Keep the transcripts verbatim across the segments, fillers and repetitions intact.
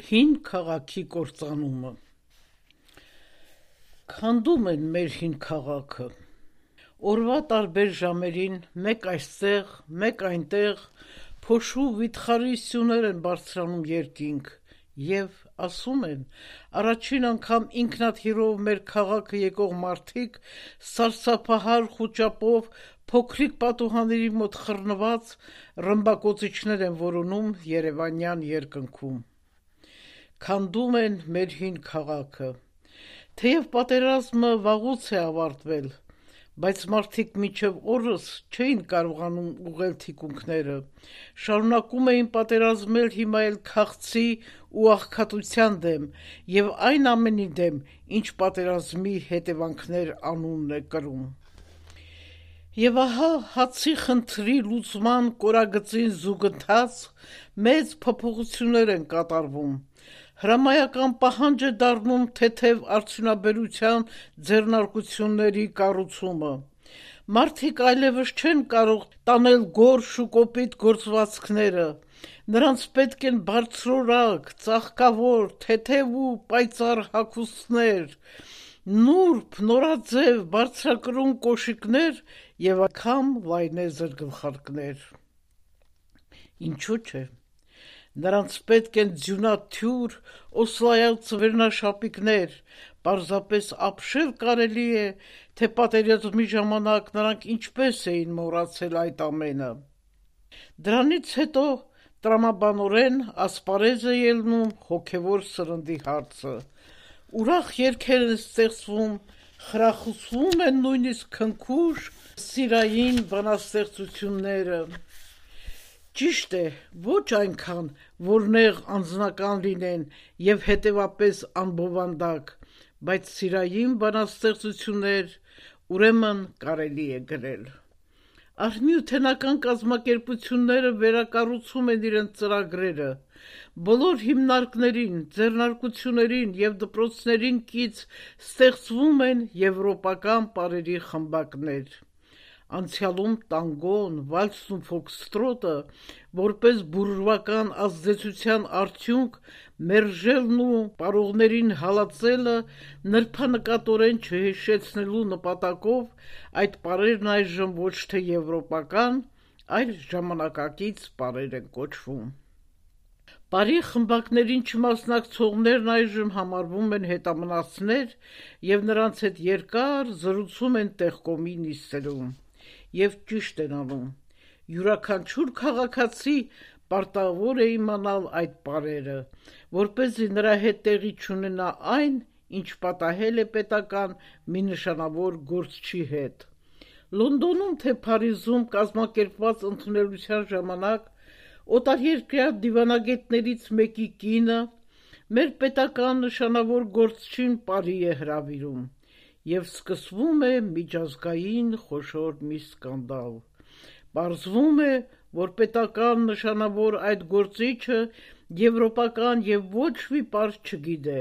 Հին քաղաքի կործանումը։ Քանդում են մեր հին քաղաքը։ Օրվա տարբեր ժամերին մեկ այստեղ, մեկ այնտեղ փոշու վիթխարի սյուներ են բարձրանում երկինք և ասում են, առաջին անգամ ինքնաթիռով մեր քաղաքը եկող մարդիկ սարսափահար խուճապով փոքրիկ պատուհանների մոտ խռնված ռմբակոծիչներ են որոնում երևանյան երկնքում։ Քանդում են մեր հին քաղաքը։ Թեև պատերազմը վաղուց է ավարտվել, բայց մարդիկ մինչև օրս չէին կարողանում ուղղել թիկունքները, շարունակում էին պատերազմել հիմա էլ քաղցի ու աղքատության դեմ և այն ամենի դեմ, ինչ պատերազմի հետևանքներ անունն է կրում։ Եվ ահա հացի խնդրի լուծման կորագծին զուգընթաց մեծ փոփոխություններ են կատարվում, հրամայական պահանջ է դառնում թեթև արդյունաբերության ձեռնարկությունների կառուցումը։ Մարդիկ այլևս չեն կարող տանել գորշ ու կոպիտ գործվածքները, նրանց պետք են բարձրորակ, ծաղկավոր, թեթև ու պայծառ հագուստներ, նուրբ, նորաձև, բարձրակրուն կոշիկներ և անգամ լայնեզր գլխարկներ։ Ինչու՞ չէ։ Նրանց պետք են ձյունաթյուր, օսլայած վերնաշապիկներ, պարզապես ապշել կարելի է, թե պատերազմի ժամանակ նրանք ինչպես էին մոռացել այդ ամենը։ Դրանից հետո տրամաբանորեն ասպարեզ է ելնում հոգևոր սննդի հարցը, ուրախ երգեր են ստեղծվում, խրախուսվում են նույնիսկ քնքուշ սիրային բանաստեղծությունները։ Ճիշտ է, ոչ այնքան, որ նեղ անձնական լինեն և հետևապես անբովանդակ, բայց սիրային բանաստեղծություններ, ուրեմն կարելի է գրել։ Արհմիութենական կազմակերպությունները վերակառուցում են իրենց ծրագրերը, բոլոր հիմնարկներին, ձեռնարկություններին և դպրոցներին կից ստեղծվում են եվրոպական պարերի խմբակներ։ Անցյալում տանգոն, վալսն ու ֆոքստրոտը, որպես բուրժուական ազդեցության արդյունք, մերժելն ու պարողներին հալածելը նրբանկատորեն չհիշեցնելու նպատակով այդ պարերն այժմ ոչ թե եվրոպական, այլ ժամանակակից պարեր են կոչվում։ Պարի խմբակներին չմասնակցողներն այժմ համարվում են հետամնացներ և նրանց հետ երկար զրուցում են տեղկոմի նիստերում։ Եվ ճիշտ են անում։ Յուրաքանչյուր քաղաքացի պարտավոր է իմանալ այդ պարերը, որպեսզի նրա հետ տեղի չունենա այն, ինչ պատահել է պետական մի նշանավոր գործչի հետ։ Լոնդոնում թե Փարիզում կազմակերպված ընդունելության ժամանակ օտարերկրյա դիվանագետներից մեկի կինը մեր պետական նշանավոր գործչին պարի է հրավիրում, և սկսվում է միջազգային խոշոր մի սկանդալ։ Պարզվում է, որ պետական նշանավոր այդ գործիչը եվրոպական և ոչ մի պար չգիտե,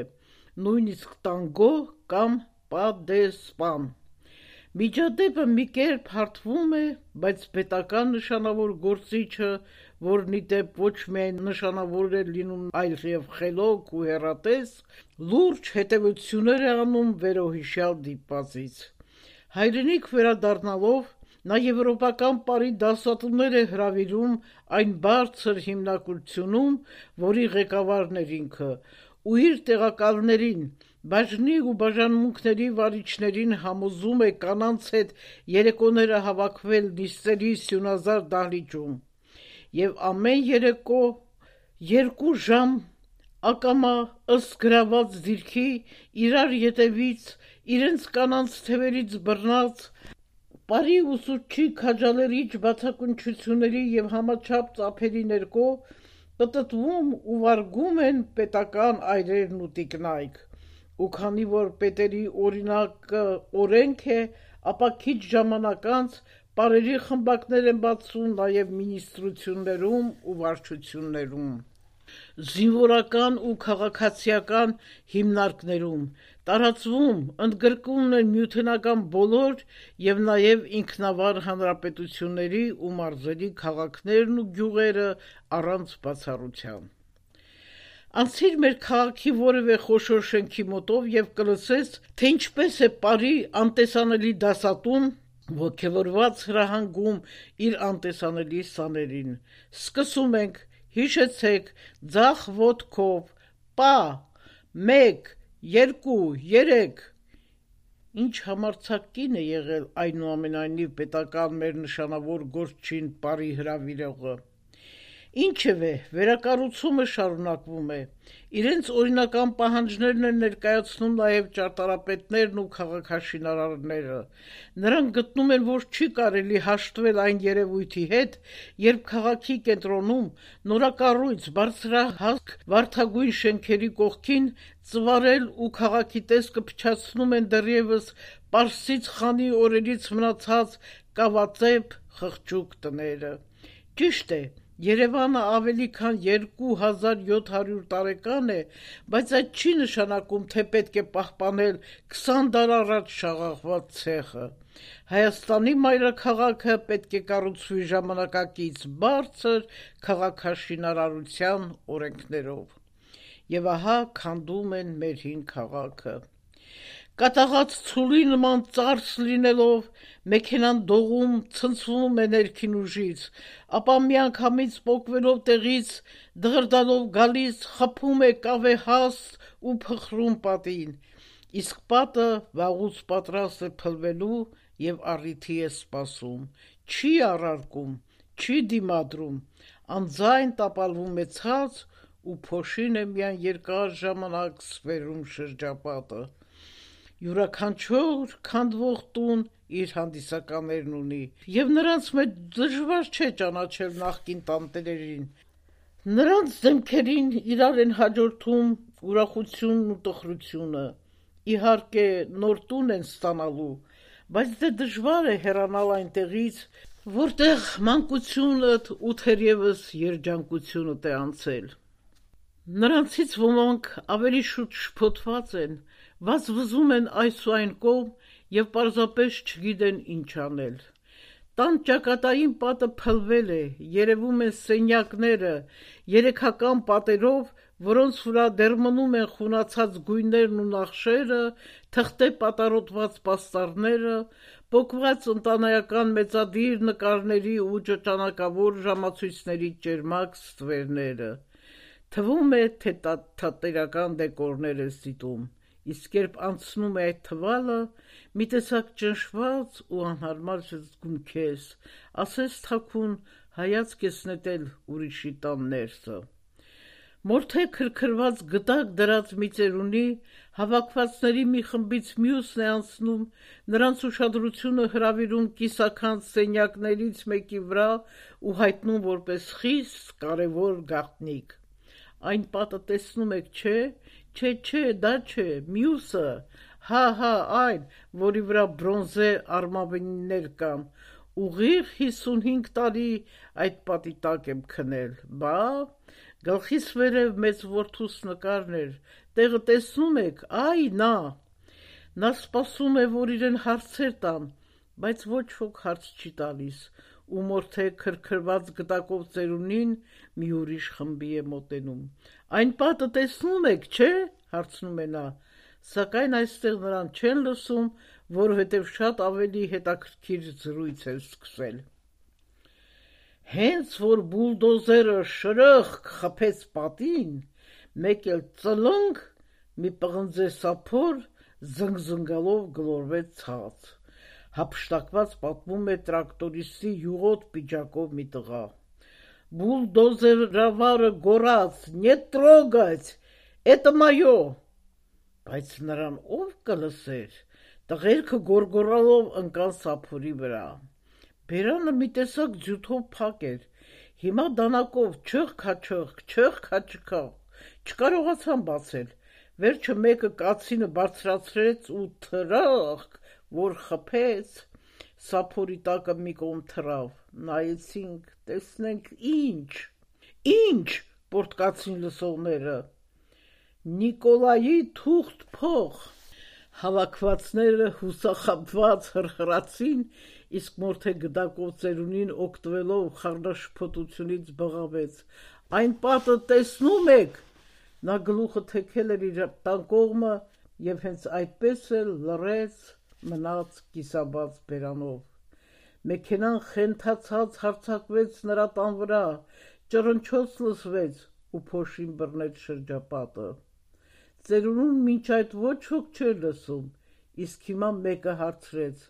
նույնիսկ տանգո կամ պա դե սպան։ Միջադեպը մի կերպ հարթվում է, բայց պետական նշանավոր գործիչը, որն ի դեպ ոչ միայն նշանավոր է լինում, այլև խելոք ու հեռատես, լուրջ հետևություններ է անում վերոհիշյալ դիպվածից։ Հայրենիք վերադառնալով նա եվրոպական պարի դասատուներ է հրավիրում այն բարձր հիմնարկությունում, որի ղեկավարն էր ինքը, ու իր տեղակալներին, բաժնի ու բաժանմունքների վարիչներին համոզում է կանանց հետ երեկոները հավաքվել նիստերի սյունազար դահլիճում, և ամեն երեկո երկու ժամ ակամա ըստ գրաված դիրքի իրար ետևից, իրենց կանանց թևերից բռնած, պարի ուսուցչի քաջալերիչ բացակայությունների և համաչափ ծափերի ներքո պտտվում ու վարգում են պետական այրերն ու տիկնայք, ու քանի որ պետերի օրինակը օրենք է, ապա քիչ ժամանակ անց պարերի խմբակներ են բացվում նաև մինիստրություններում ու վարչություններում, զինվորական ու քաղաքացիական հիմնարկներում, տարածվում, ընդգրկում են նյութենական բոլոր և նաև ինքնավար հանրապետությունների ու մարզերի քաղաքներն ու գյուղերը առանց բացառության։ Անցիր մեր քաղաքի որևէ խոշոր շենքի մոտով եւ կլսես, թե ինչպես է Պարի անտեսանելի դասատուն ոգևորված հրահանգում իր անտեսանելի սաներին։ Սկսում ենք, հիշեցեք, ձախ ոտքով, պա, մեկ, երկու, երեք։ Ինչ համարձակ կին է եղել այնուամենայնիվ պետական մեր նշանավոր գործչին Պարի հրավիրողը։ Ինչևէ, վերակառուցումը շարունակվում է։ Իրենց օրինական պահանջներն են ներկայացնում նաև ճարտարապետներն ու քաղաքաշինարարները։ Նրանք գտնում են, որ չի կարելի հաշտվել այն երևույթի հետ, երբ քաղաքի կենտրոնում նորակառույց բարձրահասկ վարդագույն շենքերի կողքին ծվարել ու քաղաքի տեսքը փչացնում են դեռևս Պարսից խանի օրերից մնացած կավածեպ խղճուկ տները։ Ճիշտ է, Երևանը ավելի քան երկու հազար յոթ հարյուր տարեկան է, բայց այդ չի նշանակում, թե պետք է պահպանել քսան դար առաջ շաղախված ցեխը։ Հայաստանի մայրաքաղաքը պետք է կառուցվի ժամանակակից բարձր քաղաքաշինարարության օրենքներով։ Եվ ահա քանդում են մեր հին քաղաքը։ Կատաղած ցուլի նման ծարս լինելով, մեքենան դողում ցնցվում է ներքին ուժից, ապա միանգամից պոկվելով տեղից, դղրդալով գալիս, խփում է կավե հաստ ու փխրում պատին, իսկ պատը վաղուց պատրաստ է փլվելու եւ առիթի է սպասում, չի առարկում, չի դիմադրում, անձայն տապալվում է ցած ու փոշին է միայն երկար ժամանակ սվերում շրջապատը։ Յուրաքանչյուր քանդվող տուն իր հանդիսականներն ունի, եւ նրանց մեջ դժվար չէ ճանաչել նախկին տանտերերին։ Նրանց դեմքերին իրար են հաջորդում ուրախությունն ու տխրությունը, իհարկե նոր տուն են ստանալու, բայց դե դժվար է հեռանալ այնտեղից, որտեղ մանկությունդ ու թերևս երջանկությունդ է անցել։ Նրանցից ոմանք ավելի շուտ շփոթված են, վազվզում են այս ու այն կողմ եւ պարզապես չգիտեն ինչ անել։ Տան ճակատային պատը փլվել է, երևում են սենյակները, երեքական պատերով, որոնց վրա դեռ մնում են խունացած գույներն ու նախշերը, թղթե պատառոտված պաստառները, պոկված ընտանեկան մեծադիր նկարների ու ճճանակավոր ժամացույցների ճերմակ ստվերները։ Թվում է, թե թատերական դեկորներ ես դիտում, իսկ երբ անցնում է այդ թվալը, մի տեսակ ճնշված ու անհարմար զգում քեզ, ասես թաքուն հայացք ես նետել ուրիշի տան ներսը։ Մորթե քրքրված գդակ դրած մի ծերունի, հավաքվածների մի խմբից մյուսն է անցնում, նրանց ուշադրությունը հրավիրում կիսաքանդ սենյակներից մեկի վրա ու հայտնում որպես խիստ կարևոր գաղտնիք։ Այն պատը տեսնում եք, չէ, չէ, չէ, դա չէ, մյուսը, հա, հա, այն, որի վրա բրոնզե արմավենիներ կան, ուղիղ հիսունհինգ տարի այդ պատի տակ եմ քնել, բա, գլխիս վերև մեծ որդուս նկարն էր, տեղը տեսնում եք, այ նա։ Նա սպասում է, որ իրեն հարցեր տան, բայց ոչ ոք հարց չի տալիս, ու մորթե քրքրված գդակով ծերունին մի ուրիշ խմբի է մոտենում։ Այն պատը տեսնում եք, չէ, հարցնում է նա, սակայն այստեղ նրան չեն լսում, որովհետև շատ ավելի հետաքրքիր զրույց է սկսել։ Հենց որ բուլդոզերը շրըխ խփեց պատին, մեկ էլ ծլնգ մի պղնձե սափոր զնգզնգալով գլորվեց ցած։ Հափշտակված պատմում է տրակտորիստի յուղոտ պիջակով մի տղա։ Բուլդոզերավարը գոռաց. «Не трогать! Это мое!» Բայց նրան ով կլսեր, տղերքը գոռգոռալով ընկան սափորի վրա։ Բերանը մի տեսակ ձյութով փակ էր, հիմա դանակով չխ-քաչխ, չխ-քաչխ, չկարողացան բացել, վերջը մեկը կացինը բարձրացրեց ու թրախ, որ խփեց, սափորի տակը մի կողմ թռավ, նայեցինք, տեսնենք ինչ, ինչ, պորտկացին լսողները, Նիկոլայի թուղթ փող, հավաքվածները հուսախաբված հրխրացին, իսկ մորթե գդակով ծերունին օգտվելով խառնաշփոթությունից բղավեց. «Այն պատը տեսնում եք, Նա գլուխը թեքել էր իր տան կողմը եւ հենց այդպես էլ լռեց, մնաց կիսաբաց բերանով։ Մեքենան խենթացած հարձակվեց նրա տան վրա, ճռնչոց լսվեց ու փոշին բռնեց շրջապատը։ Ծերունուն մինչ այդ ոչ ոք չէր լսում, իսկ հիմա մեկը հարցրեց.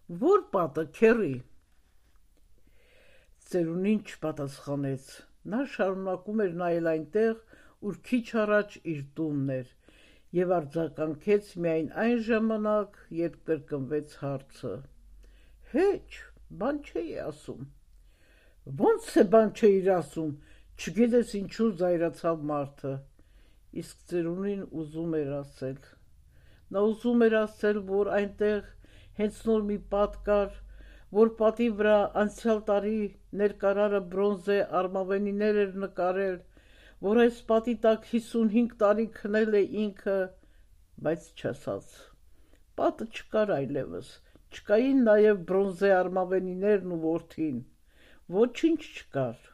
«Ո՞ր պատը, քեռի»։ Ծերունին չպատասխանեց։ Նա շարունակում էր նայել այնտեղ, ուր քիչ առաջ իր տունն էր, եւ արձագանքեց միայն այն ժամանակ, երբ կրկնվեց հարցը. «Հեչ, բան չէի ասում»։ «Ոնց է բան չէիր ասում»։ Չգիտես ինչու զայրացավ մարդը, իսկ ծերունին ուզում էր ասել։ Նա ուզում էր ասել, որ այնտեղ հենց նոր մի պատ կար, որ պատի վրա անցյալ տարի ներկարարը բրոնզե արմավենիներ էր նկարել, որ այս պատի տակ հիսունհինգ տարի քնել է ինքը, բայց չասաց։ Պատը չկար այլևս, չկային նաև բրոնզե արմավենիներն ու որդին, ոչինչ չկար։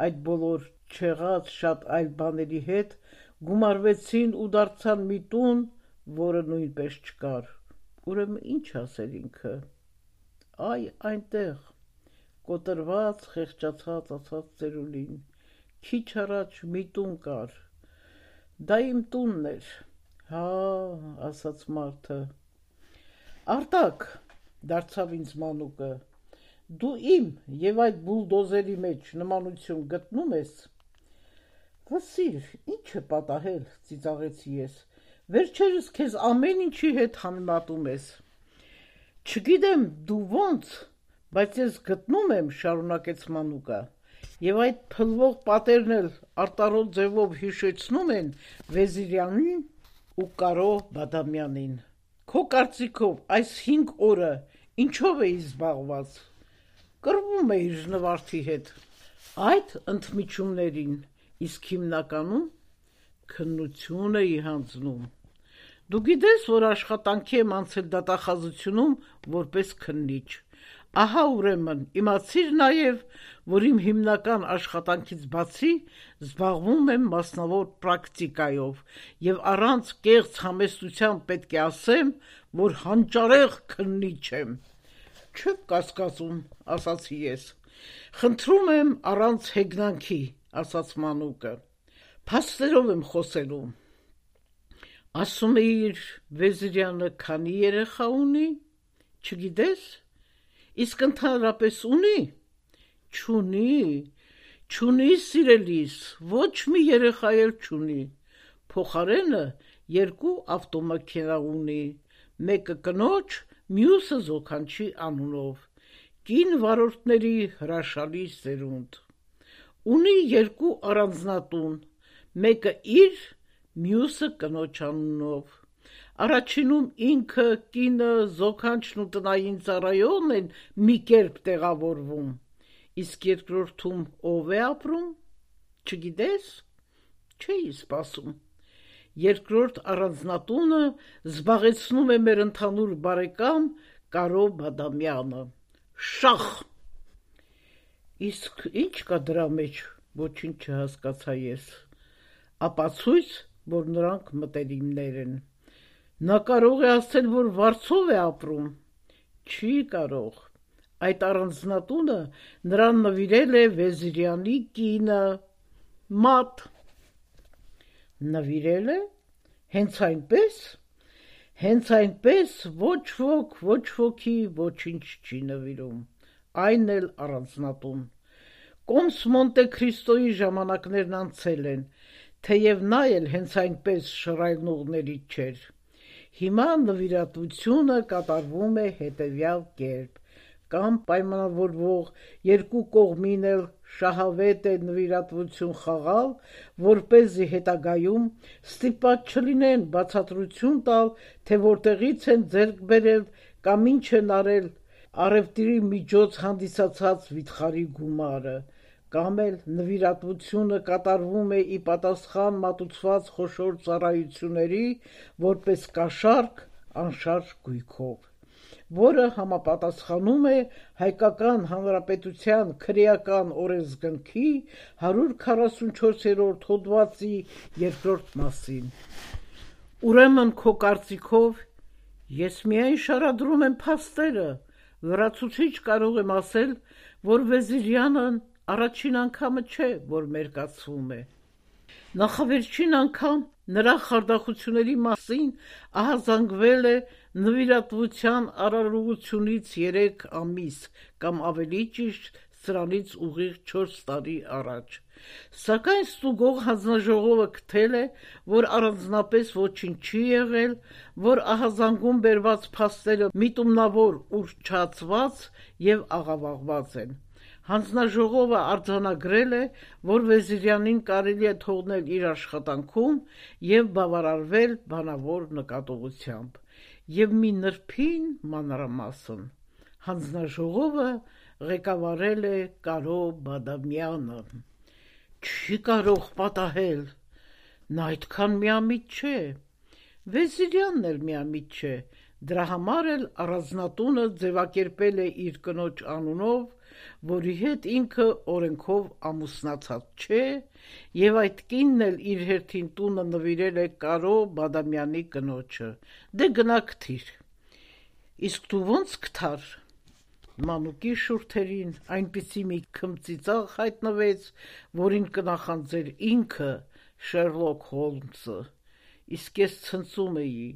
Այդ բոլոր չեղած շատ այլ բաների հետ գումարվեցին ու դարձան մի տուն, որը նույնպես չկար։ Ուրեմն ինչ ասեր ինքը։ Այ այնտեղ, կոտրված, խեղճացած ասաց ծերունին, քիչ առաջ մի տուն կար։ Դա իմ տունն էր։ Հա, ասաց մարդը։ Արտակ, դարձավ ինձ մանուկը, դու իմ եւ այդ բուլդոզերի մեջ նմանություն գտնում ես։ Վսիր, ինչ է պատահել, ծիծաղեցի ես։ Վերջերս քեզ ամեն ինչի հետ համեմատում ես։ Չգիտեմ դու ոնց, բայց ես գտնում եմ, շարունակեց մանուկը, եւ այդ փլվող պատերն էլ արտարոտ ձևով հիշեցնում են Վեզիրյանին ու Կարո Բադամյանին։ Քո կարծիքով այս հինգ օրը ինչով էի զբաղված։ Կռվում էիր նվարդի հետ։ Այդ ընդմիջումներին իսկ հիմնականում քննություն էի հանձնում։ Դու գիտես, որ աշխատանքի եմ անցել դատախազությունում որպես քննիչ։ Ահա ուրեմն իմացիր նաև, որ իմ հիմնական աշխատանքից բացի զբաղվում եմ մասնավոր պրակտիկայով եւ առանց կեղծ համեստության պետք է ասեմ, որ հանճարեղ քննիչ եմ։ Չեք կասկածում, ասացի ես։ Խնդրում եմ առանց հեգնանքի, ասաց մանուկը։ Փաստերով եմ խոսելու։ Ասում էիր Վեզիրյանը քանի երեխա ունի, չգիտես, իսկ ընդհանրապես ունի, չունի, չունի սիրելիս, ոչ մի երեխա էլ չունի, փոխարենը երկու ավտոմեքենա ունի, մեկը կնոջ, մյուսը զոքանչի անունով, կին վարորդների հրաշալի սերունդ, ունի երկու առանձնատուն, մեկը իր, մյուսը կնոջ անունով, առաջինում ինքը, կինը, զոքանչն ու տնային ծառայողն են մի կերպ տեղավորվում, իսկ երկրորդում ով է ապրում, չգիտես, չէի սպասում, երկրորդ առանձնատունը զբաղեցնում է մեր ընդհանուր բարեկամ Կարո Բադամյանը, շախ, իսկ ինչ կա դրա մեջ, ոչինչ չհասկացա ես, ապացույց, որ նրանք մտերիմներ են, նա կարող է ասել, որ վարձով է ապրում, չի կարող, այդ առանձնատունը նրան նվիրել է Վեզիրյանի կինը, մատ, նվիրել է, հենց այնպես, հենց այնպես ոչ ոք, ոչ ոքի ոչինչ չի նվիրում, այն էլ առանձնատուն, Կոմս Մոնտե Քրիստոյի ժամանակներն անցել են, թեև նա էլ հենց այնպես շռայլնողներից չէր, հիմա նվիրատվությունը կատարվում է հետևյալ կերպ, կամ պայմանավորվող երկու կողմին էլ շահավետ է նվիրատվություն խաղալ, որպեսզի հետագայում ստիպված չլինեն բացատրություն տալ, թե որտեղից են ձեռք բերել կամ ինչ են արել առևտրի միջոց հանդիսացած վիթխարի գումարը, կամ էլ նվիրատվությունը կատարվում է ի պատասխան մատուցված խոշոր ծառայությունների, որպես կաշառք անշարժ գույքով։ որը համապատասխանում է Հայկական Հանրապետության քրեական օրենսգրքի հարյուր քառասունչորսերորդ հոդվածի երկրորդ մասին։ Ուրեմն քո կարծիքով ես միայն շարադրում եմ փաստերը, լրացուցիչ կարող եմ ասել, որ Վեզիրյանն առաջին անգամը չէ, որ մերկացվում է։ Նախավերջին անգամ նրա խարդախությունների մասին ահազանգվել է նվիրատվության արարողությունից երեք ամիս կամ ավելի ճիշտ սրանից ուղիղ չորս տարի առաջ, սակայն ստուգող հանձնաժողովը գտել է, որ առանձնապես ոչինչ չի եղել, որ ահազանգում բերված փաստերը միտումնավոր ուռճացված և աղավաղված են։ Հանձնաժողովը արձանագրել է, որ Վեզիրյանին կարելի է թողնել իր աշխատանքում և բավարարվել բանավոր նկատողությամբ, և մի նրբին մանրամասն հանձնաժողովը ղեկավարել է Կարո Բադամյանը։ Չի կարող պատահել, նա այդքան միամիտ չէ, Վեզիրյանն էլ միամիտ չէ, դրա համար էլ առանձնատունը ձևակերպել է իր կնոջ անունով, որի հետ ինքը օրենքով ամուսնացած չէ, և այդ կինն էլ իր հերթին տունը նվիրել է Կարո Բադամյանի կնոջը։ Դե գնա գթիր։ Իսկ դու ո՞նց գթար։ Մանուկի շուրթերին այնպիսի մի քմծիծաղ հայտնվեց, որին կնախանձեր ինքը Շերլոք Հոլմսը, իսկ ես ցնծում էի.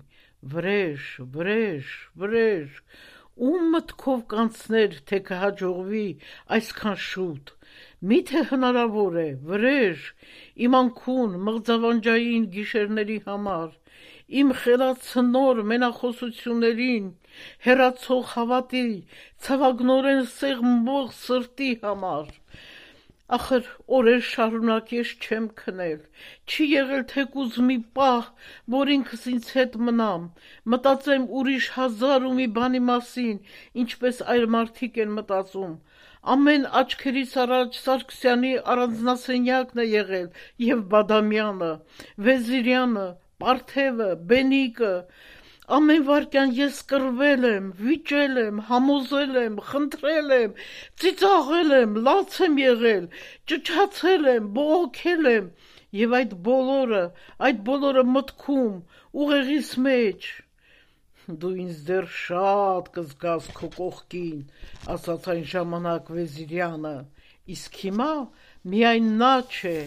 վրեժ, վրեժ, վրեժ, ում մտքով կանցներ, թե կհաջողվի այսքան շուտ, միթե հնարավոր է, վրեժ, իմ անքուն մղձավանջային գիշերների համար, իմ խելացնոր մենախոսություններին, հեռացող հավատի, ցավագնորեն սեղմող սրտի համար։ Ախր օրեր շարունակ ես չեմ քնել, չի եղել թեկուզ մի պահ, որ ինքս ինձ հետ մնամ, մտածեմ ուրիշ հազար ու մի բանի մասին, ինչպես այլ մարդիկ են մտածում։ Ամեն աչքերիս առաջ Սարգսյանի առանձնասենյակն է եղել և Բադամյանը, Վեզիրյանը, Պարթևը, Բենիկը։ Ամեն վայրկյան ես կռվել եմ, վիճել եմ, համոզել եմ, խնդրել եմ, ծիծաղել եմ, լաց եմ եղել, ճչացել եմ, բողոքել եմ, և այդ բոլորը, այդ բոլորը մտքում, ուղեղիս մեջ։ Դու ինձ դեռ շատ կզգաս քո կողքին, ասաց այն ժամանակ Վեզիրյանը, իսկ հիմա միայն նա չէ,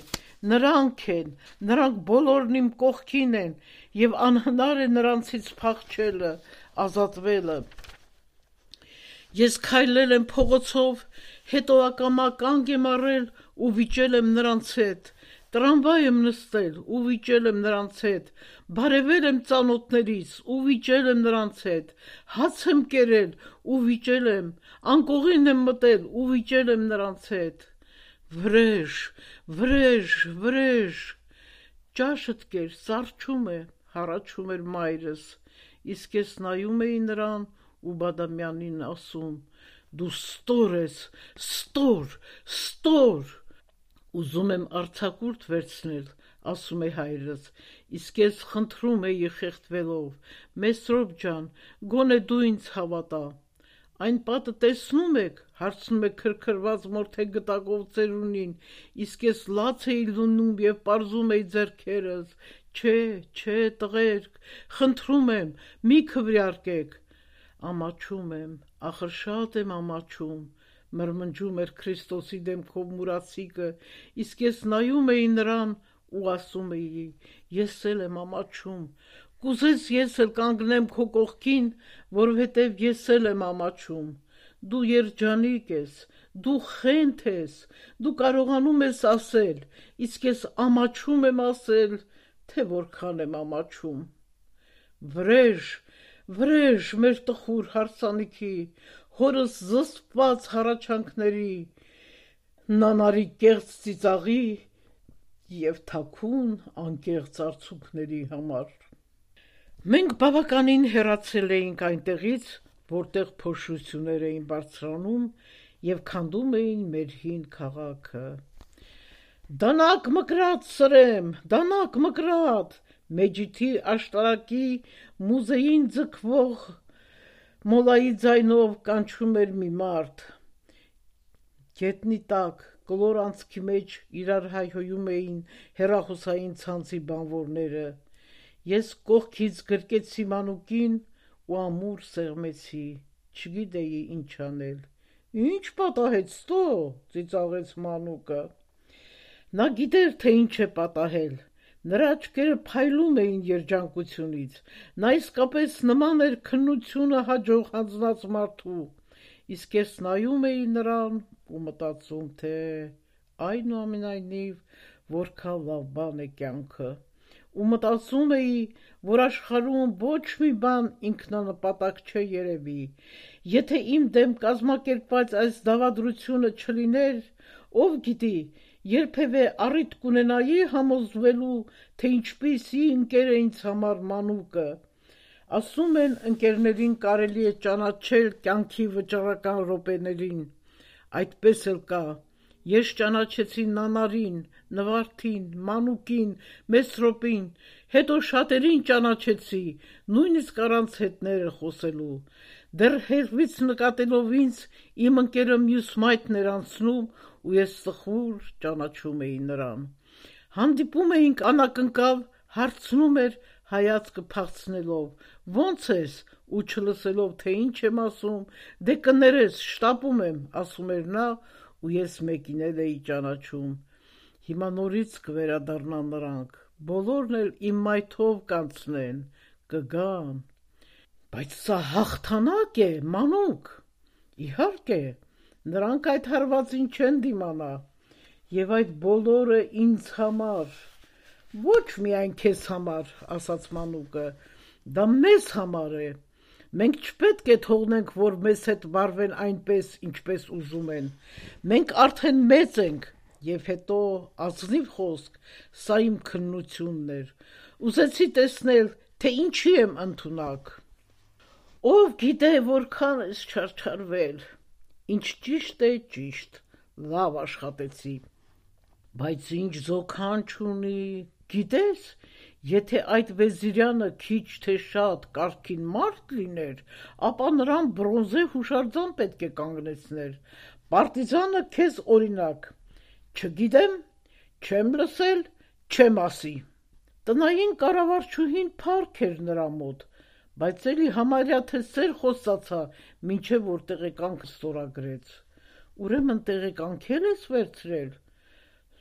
նրանք են, նրանք բոլորն իմ կողքին են, և անհնար է նրանցից փախչելը, ազատվելը։ Ես քայլել եմ փողոցով, հետո ակամա կանգ եմ առել ու վիճել եմ նրանց հետ, տրամվայ եմ նստել ու վիճել եմ նրանց հետ, բարևել եմ ծանոթներիս ու վիճել եմ նրանց հետ, հաց եմ կերել ու վիճել եմ, անկողին եմ մտել ու վիճել եմ նրանց հետ։ Վրեժ, վրեժ, վրեժ, ճաշդ կեր, սառչում է, հառաչում էր մայրս, իսկ ես նայում էի նրան ու Բադամյանին ասում. դու ստոր ես, ստոր, ստոր։ Ուզում եմ արձակուրդ վերցնել, ասում է հայրս, իսկ ես խնդրում էի խեղդվելով. Մեսրոպ ջան, գոնե դու ինձ հավատա։ Այն պատը տեսնու՞մ եք, հարցնում է քրքրված մորթե գտակով ծերունին, իսկ ես լաց էի լնում և պարզում էի ձեռքերս. չէ, չէ, տղերք, խնդրում եմ, մի քվեարկեք։ Ամաչում եմ, ախր շատ եմ ամաչում, մրմնջում էր Քրիստոսի դեմքով մուրացիկը, իսկ ես նայում էի նրան ու ասում էի. ես էլ եմ ամաչում, կուզես ես էլ կանգնեմ քո կողքին, որովհետև ես էլ եմ ամաչում։ Դու երջանիկ ես, դու խենթ ես, դու կարողանում ես ասել, իսկ ես ամաչում եմ ասել, թե որքան եմ ամաչում։ Վրեժ, վրեժ մեր տխուր հարսանիքի, հորս զսպված հառաչանքների, նանարի կեղծ ծիծաղի և թաքուն անկեղծ արցունքների համար։ Մենք բավականին հեռացել էինք այնտեղից, որտեղ փոշություններ էին բարձրանում և քանդում էին մեր հին քաղաքը։ Դանակ մկրատ սրեմ, դանակ մկրատ, Մեջիդի աշտարակի մուզեին ձգվող մոլայի ձայնով կանչում էր մի մարդ։ Գետնի տակ, կլոր անցքի մեջ իրար հայհոյում էին հեռախոսային ցանցի բանվորները։ Ես կողքից գրկեցի մանուկին ու ամուր սեղմեցի, չգիտեի ինչ անել։ Ինչ պատահեց տո, ծիծաղեց մանուկը։ Նա գիտեր, թե ինչ է պատահել։ Նրա աչքերը փայլում էին երջանկությունից։ Նա իսկապես նման էր քննությունը հաջող հանձնած մարդու։ Իսկ ես նայում էի նրան ու մտածում, թե այնուամենայնիվ որքան լավ բան է կյանքը։ Ու մտածում էի, որ աշխարհում ոչ մի բան ինքնանպատակ չէ երևի։ Եթե իմ դեմ կազմակերպված այս դավադրությունը չլիներ, ով գիտի, երբևէ առիթ կունենայի համոզվելու, թե ինչպիսի ընկեր է ինձ համար մանուկը։ Ասում են, ընկերներին կարելի է ճանաչել կյանքի վճռական րոպեներին։ Այդպես էլ կա։ Ես ճանաչեցի Նանարին, Նվարդին, մանուկին, Մեսրոպին, հետո շատերին ճանաչեցի, նույնիսկ առանց հետները խոսելու։ Դեռ հեռվից նկատելով ինձ, իմ ընկերը մյուս մայթն էր անցնում, ու ես սխուր ճանաչում էի նրան։ Հանդիպում էինք անակնկալ, հարցնում էր հայացքը փախցնելով. «Ո՞նց ես», ու չլսելով, թե ինչ եմ ասում, «Դե կներես, շտապում եմ», ասում էր նա, ու ես մեկին էլ էի ճանաչում։ Հիմա նորից կվերադառնան նրանք, բոլորն էլ իմ մայթով կանցնեն, կգան։ Բայց սա հաղթանակ է, մանուկ։ Իհարկե, նրանք այդ հարվածին չեն դիմանա։ Եվ այդ բոլորը ինձ համար։ Ոչ միայն քեզ համար, ասաց մանուկը, դա մեզ համար է։ Մենք չպետք է թողնենք, որ մեզ հետ վարվեն այնպես, ինչպես ուզում են։ Մենք արդեն մեծ ենք, եւ հետո ազնիվ խոսք, սա իմ քննությունն էր։ Ուզեցի տեսնել, թե ինչի եմ ընդունակ։ Ով գիտե որքան ես չարչարվել։ Ինչ ճիշտ է, ճիշտ, լավ աշխատեցի։ Բայց ինչ զոքան չունի, գիտես, եթե այդ Վեզիրյանը քիչ թե շատ կարգին մարդ լիներ, ապա նրան բրոնզե հուշարձան պետք է կանգնեցներ։ Պարտիզանը քեզ օրինակ։ Չգիտեմ, չեմ լսել, չեմ ասի։ Տնային կառավարչուհին փառք էր նրա մոտ, բայց էլի համարյա թե սեր խոսացա, մինչև որ տեղեկանքը ստորագրեց։ Ուրեմն տեղեկանքել ես վերցրել։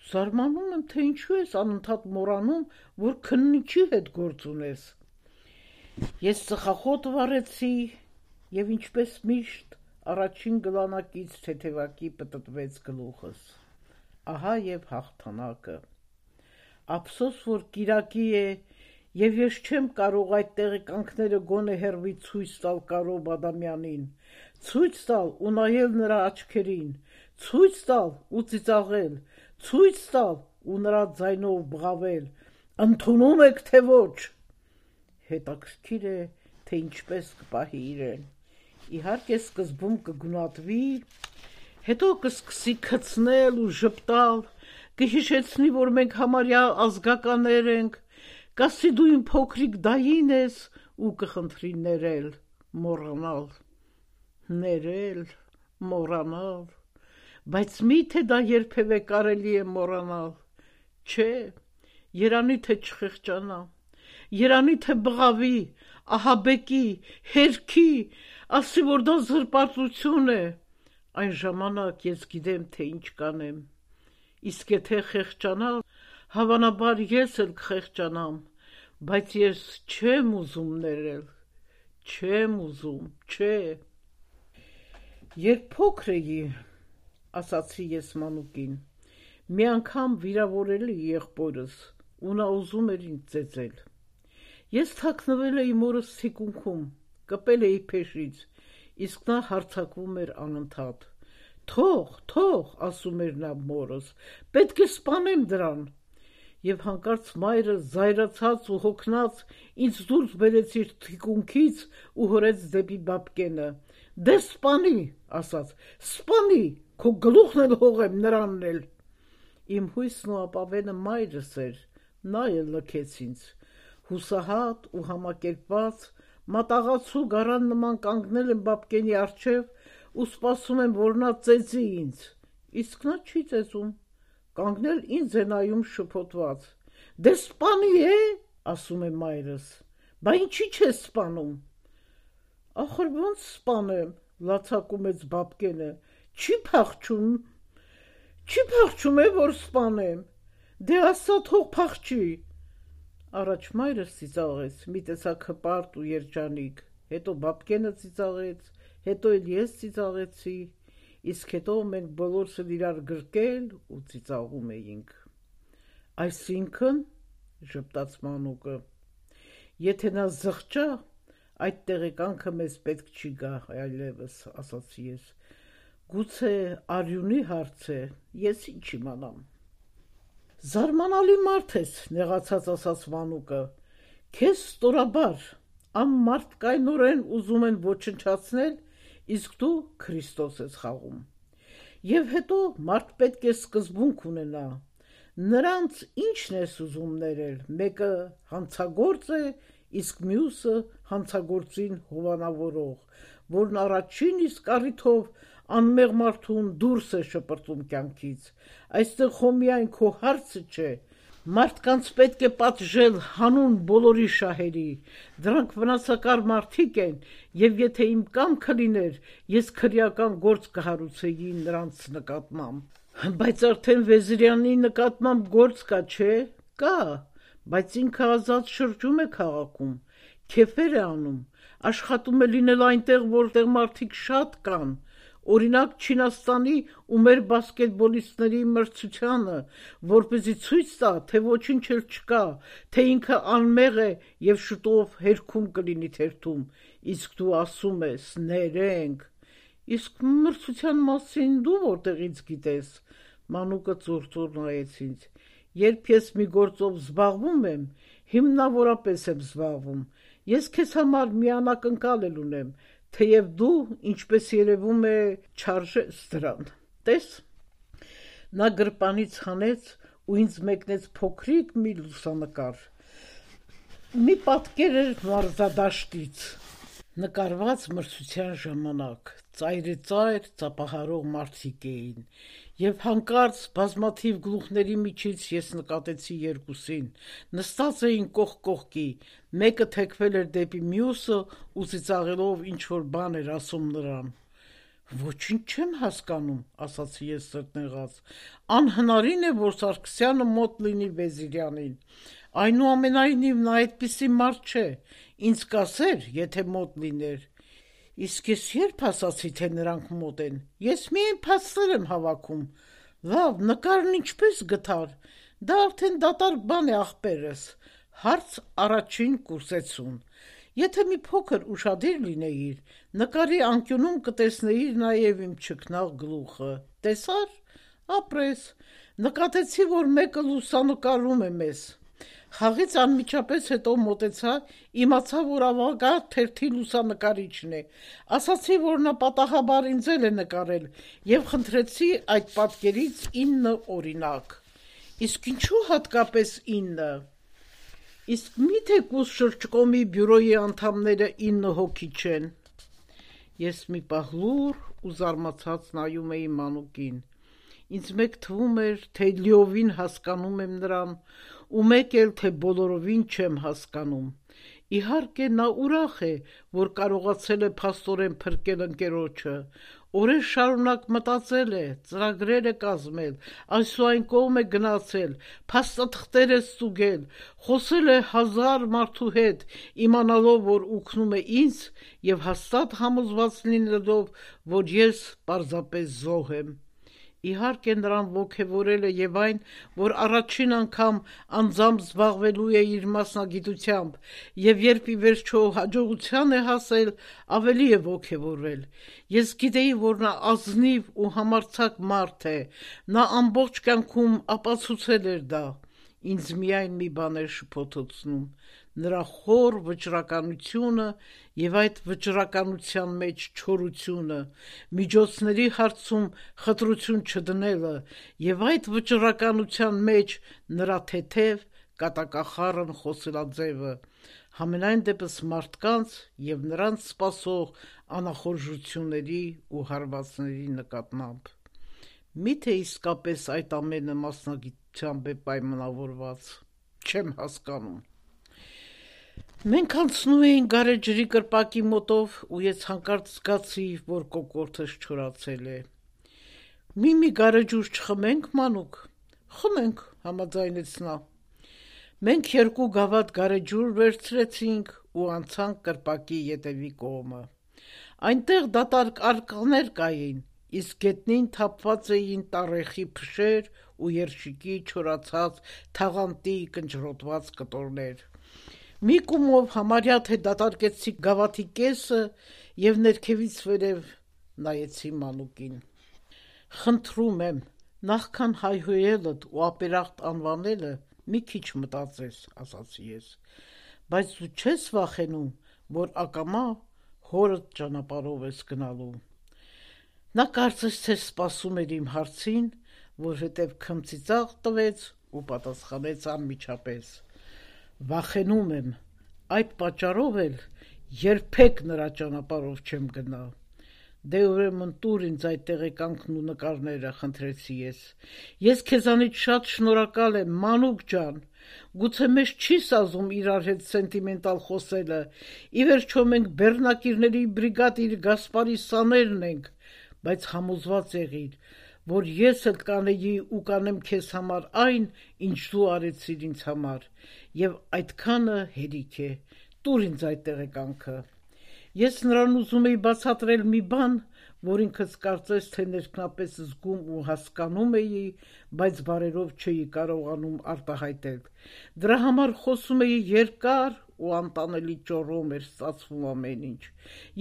Զարմանում եմ, թե ինչու ես անընդհատ մոռանում, որ քննիչի հետ գործ ունես։ Ես ծխախոտ վառեցի, եւ ինչպես միշտ, առաջին գլանակից թեթևակի պտտվեց գլուխս։ Ահա եւ հաղթանակը։ Ափսոս, որ կիրակի է, եւ ես չեմ կարող այդ տեղեկանքները գոնե հեռվից ցույց տալ Կարո Բադամյանին, ցույց տալ ու նայել նրա աչքերին, ցույց տալ ու ծիծաղել, ցույց տալ ու նրա ձայնով բղավել. «Ընդունում եք, թե ոչ»։ Հետաքրքիր է, թե ինչպես կպահի իրեն։ Իհարկե սկզբում կգունատվի, հետո կսկսի քցնել ու ժպտալ, կհիշեցնի, որ մենք համարյա ազգականներ ենք, կասի դու իմ փոքրիկ դային ես ու կխնդրի ներել, մոռանալ։ Ներել, մոռանալ, բայց մի՞թե դա երբևէ կարելի է մոռանալ։ Չէ, երանի թե չխեղճանա, երանի թե բղավի, ահաբեկի, հերքի, ասի, որ դա զրպարտություն է։ Այն ժամանակ ես գիտեմ, թե ինչ կանեմ։ Իսկ եթե խեղճանալ, հավանաբար ես էլ կխեղճանամ, բայց ես չեմ ուզում ներել, չեմ ուզում, չէ։ Երբ փոքր էի, ասացի ես մանուկին, մի անգամ վիրավորել էի եղբորս, ու նա ուզում էր ինձ ծեծել։ Ես թաքնվել էի մորս թիկունքում, կպել էի փեշից, իսկ նա հարձակվում էր անընդհատ։ Թող, թող, ասում էր նա մորս, պետք է սպանեմ դրան։ Եվ հանկարծ մայրը զայրացած ու հոգնած ինձ դուրս բերեց իր թիկունքից ու հորեց դեպի բաբկենը։ Դե սպանի, ասաց, սպանի, քո գլուխն էլ հողեմ, նրանն էլ։ Իմ հույսն ու ապավենը մայրս էր, նա էլ լքեց ինձ։ Հուսահատ ու համակերպված, մատաղացու գարան նման կանգնել եմ Բաբկենի առջև ու սպասում եմ, որ նա ծեծի ինձ, իսկ նա չի ծեծում, կանգնել ինձ է նայում շփոթված, դե սպանի է, ասում է մայրս, բա ինչի չես սպանում, ախր ոնց սպանեմ, լացակում էց Բաբկենը, չի փախչում, չի փախչում է, որ սպանեմ, դե ասա թող փախչի, առաջ մայրս ծիծաղեց, մի տեսակ հպարտ ու երջանիկ, հետո Բաբկենը ծիծաղեց, հետո էլ ես ծիծաղեցի, իսկ հետո մենք բոլորս էլ իրար գրկել ու ծիծաղում էինք, այսինքն, ժպտաց Մանուկը, եթե նա զղջա, այդ տեղեկանքը մեզ պետք չի գա այլևս, ասացի ես, գուցե արյունի հարց է, ես ինչ իմանամ, զարմանալի մարդ ես, նեղացած ասաց Մանուկը, քեզ ստորաբար, անմարդկայնորեն ուզում են ոչնչացնել, իսկ դու Քրիստոս ես խաղում, և հետո մարդ պետք է սկզբունք ունենա, նրանց ինչն ես ուզում ներել, մեկը հանցագործ է, իսկ մյուսը հանցագործին հովանավորող, որն առաջին իսկ առիթով անմեղ մարդուն դուրս է շպրտում կյանքից, այստեղ խո միայն քո հարցը չէ, մարդկանց պետք է պատժել հանուն բոլորի շահերի, դրանք վնասակար մարդիկ են, և եթե իմ կամքը լիներ, ես քրեական գործ կհարուցեի նրանց նկատմամբ, բայց արդեն Վեզիրյանի նկատմամբ գործ կա, չէ, կա, բայց ինքը ազատ շրջում է քաղաքում, քեֆեր է անում, աշխատում է լինել այնտեղ, որտեղ մարդիկ շատ կան, օրինակ Չինաստանի ու մեր բասկետբոլիստների մրցությանը, որպեսզի ցույց տա, թե ոչինչ էլ չկա, թե ինքը անմեղ է և շուտով հերքում կլինի թերթում, իսկ դու ասում ես, ներենք, իսկ մրցության մասին դու որտեղից գիտես, Մանուկը ծուռ-ծուռ նայեց ինձ, երբ ես մի գործով զբաղվում եմ, հիմնավորապես եմ զբաղվում, ես քեզ համար մի անակնկալ էլ ունեմ, թեև դու, ինչպես երևում է, չարժես դրան, տես, նա գրպանից հանեց ու ինձ մեկնեց փոքրիկ մի լուսանկար, մի պատկեր էր մարզադաշտից, նկարված մրցության ժամանակ, ծայրիծայր ծափահարող մարդիկ էին, և հանկարծ բազմաթիվ գլուխների միջից ես նկատեցի երկուսին, նստած էին կողք կողքի, մեկը թեքվել էր դեպի մյուսը ու ծիծաղելով ինչ-որ բան էր ասում նրան, ոչինչ չեմ հասկանում, ասացի ես սրտնեղած, անհնարին է, որ Սարգսյանը մոտ լինի Վեզիրյանին, այնուամենայնիվ նա այդպիսի մարդ չէ, ինձ կասեր, եթե մոտ լիներ, իսկ ես երբ ասացի, թե նրանք մոտ են, ես միայն փաստեր եմ հավաքում, լավ, նկարն ինչպես գտար, դա արդեն դատարկ բան է ախպերս, հարց առաջին կուրսեցուն, եթե մի փոքր ուշադիր լինեիր, նկարի անկյունում կտեսնեիր նաև իմ չքնաղ գլուխը, տեսար, ապրես, նկատեցի, որ մեկը լուսանկարում է մեզ, խաղից անմիջապես հետո մոտեցա, իմացա, որ ավագա թերթի լուսանկարիչն է, ասացի, որ նա պատահաբար ինձ էլ է նկարել և խնդրեցի այդ պատկերից ինը օրինակ, իսկ ինչու հատկապես ինը, իսկ մի՞թե Կուս շրջկոմի բյուրոյի անդամները ինը հոգի չեն, ես մի պահ լուռ ու զարմացած նայում էի Մանուկին, ինձ մեկ թվում էր, թե լիովին հասկանում եմ նրան, ու մեկ էլ, թե բոլորովին չեմ հասկանում, իհարկե նա ուրախ է, որ կարողացել է փաստորեն փրկել ընկերոջը, օրեր շարունակ մտածել է, ծրագրեր է կազմել, այս ու այն կողմ է գնացել, փաստաթղթեր է ստուգել, խոսել է հազար մարդու հետ, իմանալով, որ օգնում է ինձ և հաստատ համոզված լինելով, որ ես պարզապես զոհ եմ, իհարկե նրան ոգևորել է և այն, որ առաջին անգամ անձամբ զբաղվելու է իր մասնագիտությամբ և երբ ի վերջո հաջողության է հասել, ավելի է ոգևորվել, ես գիտեի, որ նա ազնիվ ու համարձակ մարդ է, նա ամբողջ կյանքում ապացուցել էր դա, ինձ միայն մի բան էր շփոթեցնում, նրա խոր վճռականությունը և այդ վճռականության մեջ չորությունը, միջոցների հարցում խտրություն չդնելը և այդ վճռականության մեջ նրա թեթև, կատակախառն խոսելաձևը, համենայն դեպս մարդկանց և նրանց սպասող անախորժությունների ու հարվածների նկատմամբ։ Միթե իսկապես այդ ամենը մասնագիտությամբ է պայմանավորված, չեմ հասկանում։ Մենք անցնում էինք գարեջրի կրպակի մոտով ու ես հանկարծ զգացի, որ կոկորդս չորացել է։ Մի-մի գարեջուր չխմենք, մանուկ։ Խմենք, համաձայնեց նա։ Մենք երկու գավաթ գարեջուր վերցրեցինք ու անցանք կրպակի ետևի կողմը։ Այնտեղ դատարկ արկղներ կային, իսկ գետնին թափված էին տառեխի փշեր ու երշիկի չորացած թաղանթի կնճռոտված կտորներ։ Մի կումով համարյա թե դատարկեցի գավաթի կեսը և ներքևից վերև նայեցի մանուկին։ Խնդրում եմ, նախքան հայհոյելդ ու ապերախտ անվանելը մի քիչ մտածես, ասացի ես, բայց դու չես վախենում, որ ակամա հորդ ճանապարհով ես գնալու։ Նա կարծես թե սպասում էր իմ հարցին, որովհետև քմծիծաղ տվեց ու պատասխանեց անմիջապես. Վախենում եմ, այդ պատճառով էլ երբեք նրա ճանապարհով չեմ գնա։ Դե ուրեմն տուր ինձ այդ տեղեկանքն ու նկարները, խնդրեցի ես։ Ես քեզանից շատ շնորհակալ եմ, մանուկ ջան։ Գուցե մեզ չի սազում իրար հետ սենտիմենտալ խոսելը, ի վերջո մենք բեռնակիրների բրիգադիր Գասպարի սաներն ենք, բայց համոզված եղիր, որ ես էլ կանեի ու կանեմ քեզ համար այն, ինչ դու արեցիր ինձ համար, և այդքանը հերիք է, տուր ինձ այդ տեղեկանքը։ Ես նրան ուզում էի բացատրել մի բան, որ ինքս կարծես թե ներքնապես զգում ու հասկանում էի, բայց բառերով չէի կարողանում արտահայտել։ Դրա համար խոսում էի երկար ու անտանելի ճոռոմ էր ստացվում ամեն ինչ։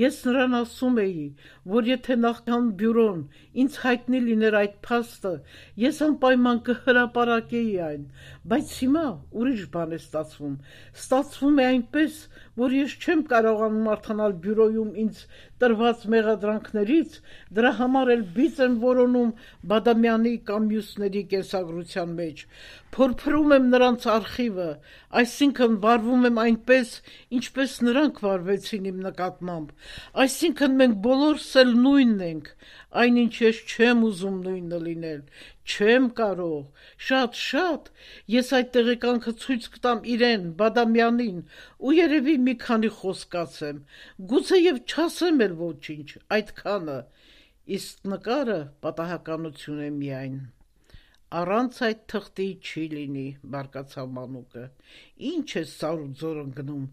Ես նրան ասում էի, որ եթե նախքան բյուրոն ինձ հայտնի լիներ այդ փաստը, ես անպայման կհրապարակեի այն, բայց հիմա ուրիշ բան է ստացվում։ Ստացվում է այնպես, որ ես չեմ կարողանում արտանալ բյուրոյում ինձ տրված մեղադրանքներից, դրա համար էլ բիծ եմ որոնում Բադամյանի կամ մյուսների կենսագրության մեջ, փորփրում եմ նրանց արխիվը, այսինքն վարվում եմ այնպես, ինչպես նրանք վարվեցին իմ նկատմամբ, այսինքն մենք բոլորս էլ նույնն ենք, այնինչ ես չեմ ուզում նույնը լինել, չեմ կարող, շատ-շատ, ես այդ տեղեկանքը ցույց կտամ իրեն, Բադամյանին, ու երևի մի քանի խոսք ասեմ, գուցե և չասեմ էլ ոչինչ, այդքանը, իսկ նկարը պատահականություն է միայն։ Առանց այդ թղթի չի լինի, բարկացավ մանուկը, ինչ ես սարուձոր ընկնում,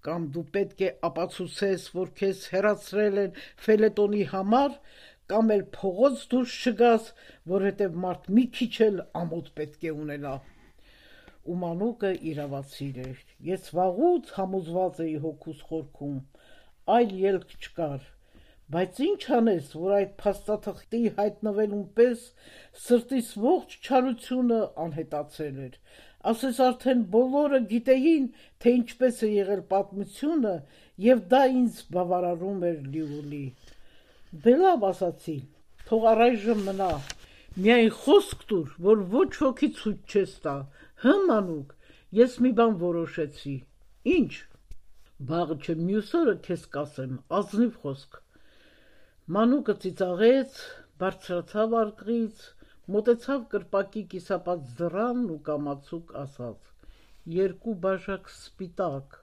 կամ դու պետք է ապացուցես, որ քեզ հեռացրել են ֆելետոնի համար, կամ էլ փողոց դուրս չգաս, որովհետև մարդ մի քիչ էլ ամոթ պետք է ունենա։ Ու մանուկը իրավացիր էր, ես վաղուց համոզված էի հոգուս խորքում, այլ ելք չկար, բայց ինչ անես, որ այդ փաստաթղթի հայտնվելուն պես սրտիս ողջ չարությունը անհետացել էր, ասես արդեն բոլորը գիտեին, թե ինչպես է եղել պատմությունը, և դա ինձ բավարարում էր լիովին։ Դե լավ, ասացի, թող առայժմ մնա, միայն խոսք տուր, որ ոչ ոքի ցույց չես տա, հը մանուկ, ես մի բան որոշեցի։ Ինչ։ Վաղը չէ մյուս օրը քեզ կասեմ, ազնիվ խոսք։ Մանուկը ծիծաղեց, բարձրացավ արկղից, մոտեցավ կրպակի կիսապած դռանն ու կամացուկ ասաց. երկու բաժակ սպիտակ,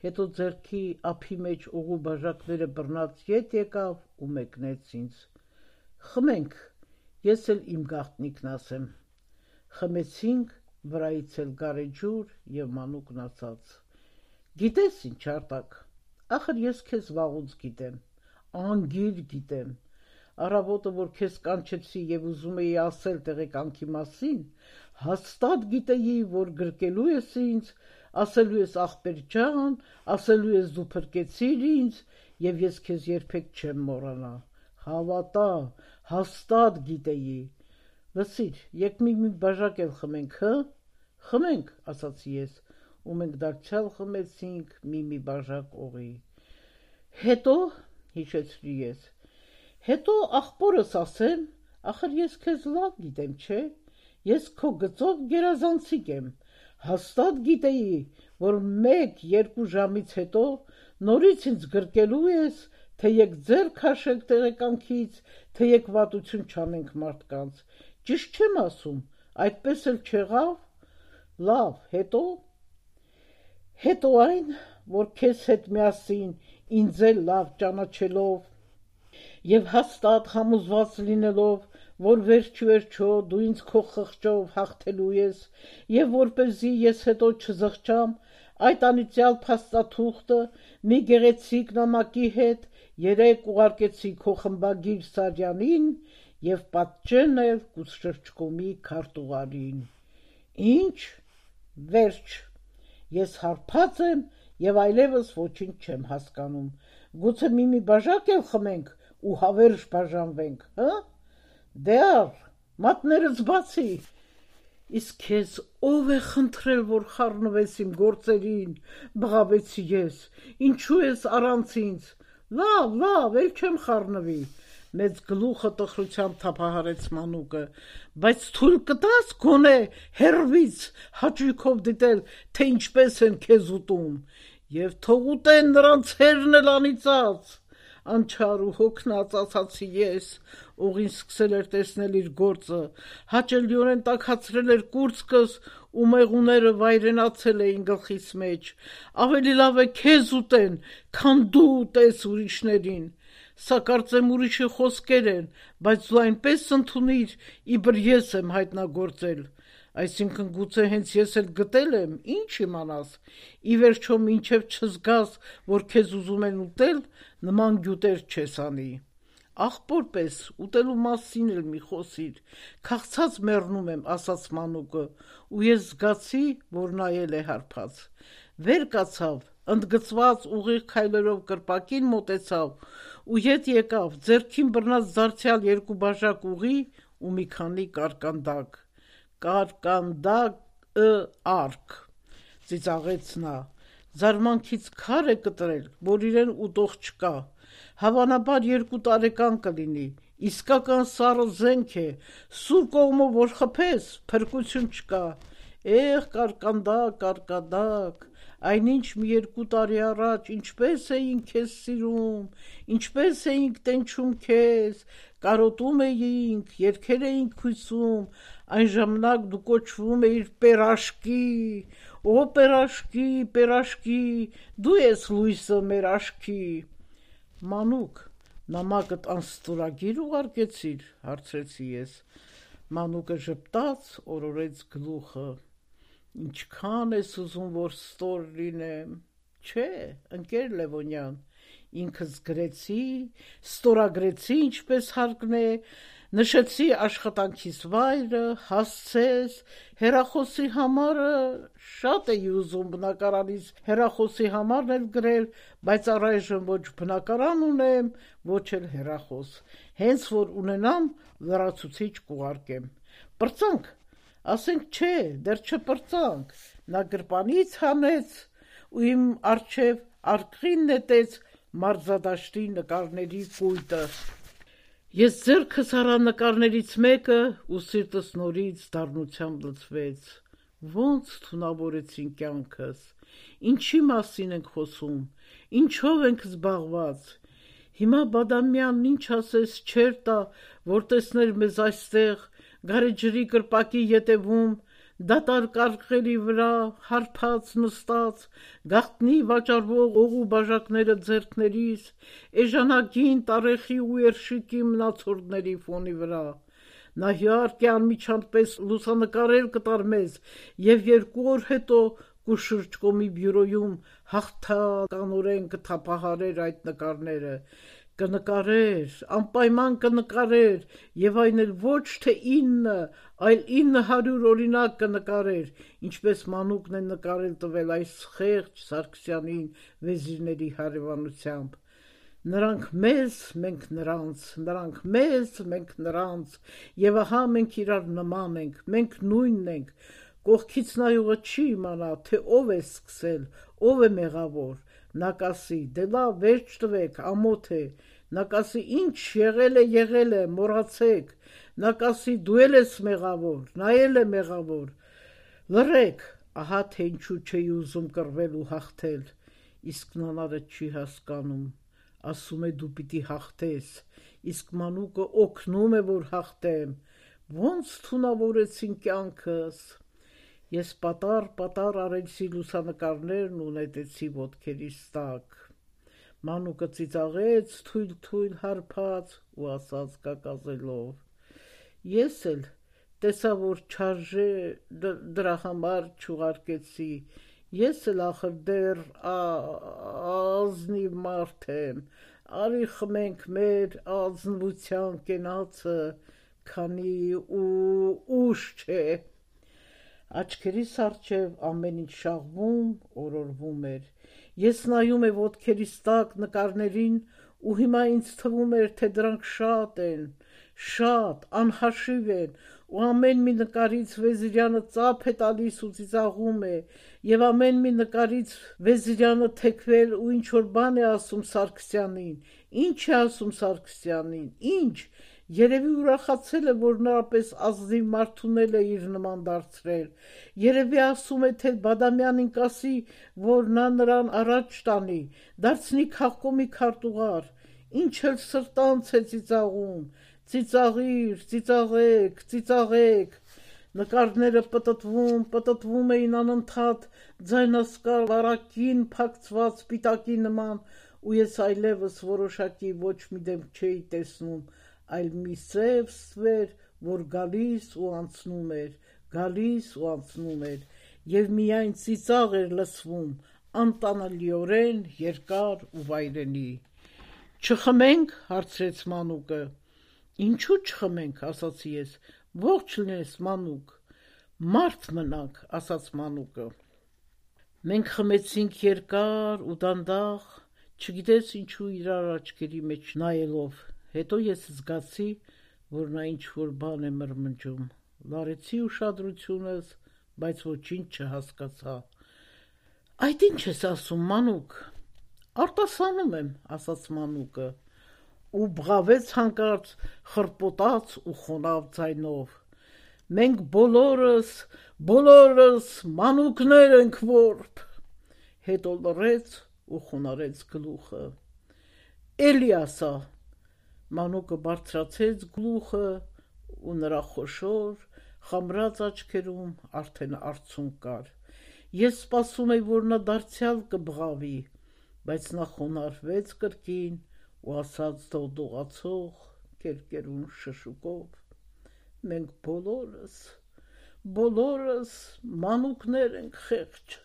հետո ձեռքի ափի մեջ ուղու բաժակները բռնած ետ եկավ ու մեկնեց ինձ. խմենք, ես էլ իմ գաղտնիքն ասեմ։ Խմեցինք, վրայից էլ գարեջուր և մանուկն ասաց. գիտես ինչ Արտակ, ախր ես քեզ վաղուց գիտեմ, անգիր գիտեմ, առավոտը, որ քեզ կանչեցի և ուզում էի ասել տեղեկանքի մասին, հաստատ գիտեի, որ գրկելու ես ինձ, ասելու ես ախպեր ջան, ասելու ես դու փրկեցիր ինձ, և ես քեզ երբեք չեմ մոռանա, հավատա, հաստատ գիտեի, լսիր, եկ մի մի բաժակ էլ խմենք, հը, խմենք, ասացի ես, ու մենք դարձյալ խմեցինք մի-մի բաժակ օղի։ Հետո, հիշեցրի ես, հետո ախպորս ասեմ, ախր ես քեզ լավ գիտեմ, չէ, ես քո գծով գերազանցիկ եմ, Հաստատ գիտեի, որ մեկ-երկու ժամից հետո նորից ինձ գրկելու ես, թե եկ ձեր քաշեք տեղեկանքից, թե եկ վատություն չանենք մարդկանց։ Ճիշտ չեմ ասում, այդպես էլ չեղավ։ Լավ, հետո։ Հետո այն, որ քեզ հետ միասին ինձ էլ լավ ճանաչելով եւ հաստատ համոզված լինելով, որ վերջ-վերջո դու ինձ քո խղճով հաղթելու ես եւ որպեսզի ես հետո չզղջամ, այդ անիծյալ փաստաթուղթը մի գեղեցիկ նամակի հետ երեք ուղարկեցի քո խմբագիր Սարյանին եւ պատճեն էլ կուսշրջկոմի քարտուղարին։ Ինչ? Վերջ։ Ես հարբած եմ եւ այլևս ոչինչ չեմ հասկանում։ Գուցե մի-մի բաժակ էլ խմենք ու հավերժ բաժանվենք, հա՞։ Դե առ, մատներս բացի։ Իսկ քեզ ով է խնդրել, որ խառնվես իմ գործերին, բղավեցի ես, ինչու ես առանց ինձ։ Լավ, լավ, էլ չեմ խառնվի, մեծ գլուխը տխրությամբ թափահարեց Մանուկը, բայց թույլ կտաս գոնե հեռվից հաճույքով դիտել, թե ինչպես են քեզ ուտում, եւ թող ուտեն նրանց հերն էլ անիծած։ Անչար ու հոգնած ասացի ես, ուղին սկսել էր տեսնել իր գործը, հաճելիորեն տաքացրել էր կուրծքս ու մեղուները վայրենացել էին գլխիս մեջ, ավելի լավ է քեզ ուտեն, քան դու ուտես ուրիշներին, սա կարծեմ ուրիշի խոսքեր են, բայց դու այնպես ընդունիր, իբր ես եմ հայտնագործել, այսինքն գուցե հենց ես էլ գտել եմ, ինչ իմանաս, ի վերջո մինչև չզգաս, որ քեզ ուզում են ուտել, նման գյուտեր չես անի։ Աղբոր պես ուտելու մասին էլ մի խոսիր, քաղցած մեռնում եմ, ասաց Մանուկը, ու ես զգացի, որ նա էլ է հարբած։ Վեր կացավ, ընդգծված ուղիղ քայլերով կրպակին մոտեցավ ու ետ եկավ, ձեռքին բռնած դարձյալ երկու բաժակ ուղի ու մի քանի կարկանդակ։ Կարկանդակ արկ, ծիծաղեց նա, զարմանքից քար է կտրել, որ իրեն ուտող չկա, հավանաբար երկու տարեկան կլինի, իսկական սառը զենք է, սուր կողմով որ խփես, փրկություն չկա, Էղ կարկանդակ, կարկանդակ, այնինչ մի երկու տարի առաջ ինչպես էինք քեզ սիրում, ինչպես էինք տենչում քեզ, կարոտում էինք, երգեր էինք քույսում, այն ժամանակ դու կոչվում էիր Պերաշկի, օ Պերաշկի, Պերաշկի, դու ես լույսը մեր աշկի։ Մանուկ, նամակդ անստորագիր ուղարկեցիր, հարցրեցի ես։ Մանուկը ժպտաց, օրորեց գլուխը։ Ինչքան ես ուզում, որ ստոր լինեմ, չէ, ընկեր Լևոնյան, ինքս գրեցի, ստորագրեցի, ինչպես հարկն է, նշեցի աշխատանքիս վայրը, հասցես, հեռախոսի համարը, շատ էի ուզում բնակարանից հեռախոսի համարն էլ գրել, բայց առայժմ ոչ բնակարան ունեմ, ոչ էլ հեռախոս, հենց որ ունենամ, լրացուցիչ կուղարկեմ։ Պրծանք, ասենք չէ, դեռ չպրծանք, նա գրպանից հանեց ու իմ առջև արկղին նետեց մարզադաշտի նկարների կույտը։ Ես ձեռքս առա նկարներից մեկը ու սիրտս նորից դառնությամբ լցվեց։ Ոնց թունավորեցին կյանքս, ինչի մասին ենք խոսում, ինչով ենք զբաղված։ Հիմա Բադամյանն ինչ ասես չեր տա, որ տեսներ մեզ այստեղ, գարեջրի կրպակի ետևում, դատարկ արկղերի վրա, հարբած նստած, գաղտնի վաճառվող օղու բաժակները ձեռքներիս, էժանագին տարեխի ու երշիկի մնացորդների ֆոնի վրա։ Նա իհարկե անմիջան պես լուսանկարել կտար մեզ եւ երկու օր հետո կուշրջկոմի բյուրոյում հաղթականորեն կթափահարեր այդ նկարները, կնկարեր, անպայման կնկարեր եւ այն էլ ոչ թե ինը, այլ ինը հարյուր օրինակ կնկարեր, ինչպես Մանուկն է նկարել տվել այս խեղճ Սարգսյանին վեզիրների հարևանությամբ։ Նրանք մեզ, մենք նրանց, նրանք մեզ, մենք նրանց, եւ ահա մենք իրար նման ենք, մենք նույնն ենք, կողքից նայողը չի իմանա, թե ով է սկսել, ով է մեղավոր, նա կասի, դե լավ, վերջ տվեք, ամոթ է, նա կասի, ինչ եղել է, եղել է, մոռացեք, նա կասի, դու էլ ես մեղավոր, նա էլ է մեղավոր, լռեք, Ահա թե ինչու չէի ուզում կռվել ու հաղթել, իսկ նանարը չի հասկանում, ասում է դու պիտի հաղթես, իսկ մանուկը օգնում է, որ հաղթեմ, ոնց թունավորեցին կյանքս։ Ես պատառ-պատառ արեցի լուսանկարներն ու նետեցի ոտքերիս տակ։ Մանուկը ծիծաղեց թույլ-թույլ հարբած ու ասաց կակազելով. Ես էլ տեսա, որ չարժե դրա համար չուղարկեցի, ես էլ ախր դեռ ազնիվ մարդ եմ, արի խմենք մեր ազնվության կենացը, քանի ու ուշ չէ։ Աչքերիս առջև ամեն ինչ շաղվում, օրորվում էր։ Ես նայում եմ ոտքերիս տակ նկարներին ու հիմա ինձ թվում էր, թե դրանք շատ են, շատ, անհաշիվ են, ու ամեն մի նկարից Վեզիրյանը ծափ է տալիս ու ծիծաղում է, և ամեն մի նկարից Վեզիրյանը թեքվել ու ինչ-որ բան է ասում Սարգսյանին։ Ինչ է ասում Սարգսյանին, ինչ, երևի ուրախացել է, որ նրա պես ազնիվ մարդունել է իր նման դարձրել, երևի ասում է, թե Բադամյանին կասի, որ նա նրան առաջ տանի, դարձնի քաղկոմի քարտուղար, ինչ էլ սրտանց է ծիծաղում, ծիծաղիր, ծիծաղեք, ծիծաղեք։ Նկարները պտտվում, պտտվում էին անընդհատ ձայնասկալ վարակին փակցված պիտակի նման, ու ես այլևս որոշակի ոչ մի դեմք չէի տեսնում, այլ մի սև ստվեր, որ գալիս ու անցնում էր, գալիս ու անցնում էր, և միայն ծիծաղ էր լսվում, անտանելիորեն երկար ու վայրենի։ Չխմենք, հարցրեց մանուկը։ Ինչու չխմենք, ասացի ես, ողջ լինես մանուկ։ Մարդ մնանք, ասաց մանուկը։ Մենք խմեցինք երկար ու դանդաղ, չգիտես ինչու իրար աչքերի մեջ նայելով, հետո ես զգացի, որ նա ինչ-որ բան է մրմնջում, լարեցի ուշադրությունս, բայց ոչինչ չհասկացա։ Այդ ինչ ես ասում, մանուկ։ Արտասանում եմ, ասաց մանուկը, ու բղավեց հանկարծ խռպոտաց ու խոնավ ձայնով. մենք բոլորս, բոլորս մանուկներ ենք որբ։ Հետո լռեց ու խոնարհեց գլուխը։ Էլի ասա։ Մանուկը բարձրացեց գլուխը ու նրա խոշոր, խամրած աչքերում արդեն արցունք կար։ Ես սպասում էի, որ նա դարձյալ կբղավի, բայց նա խոնարհվեց կրկին ու ասաց դողդողացող, կերկերուն շշուկով. մենք բոլորս, բոլորս մանուկներ ենք խեղճ։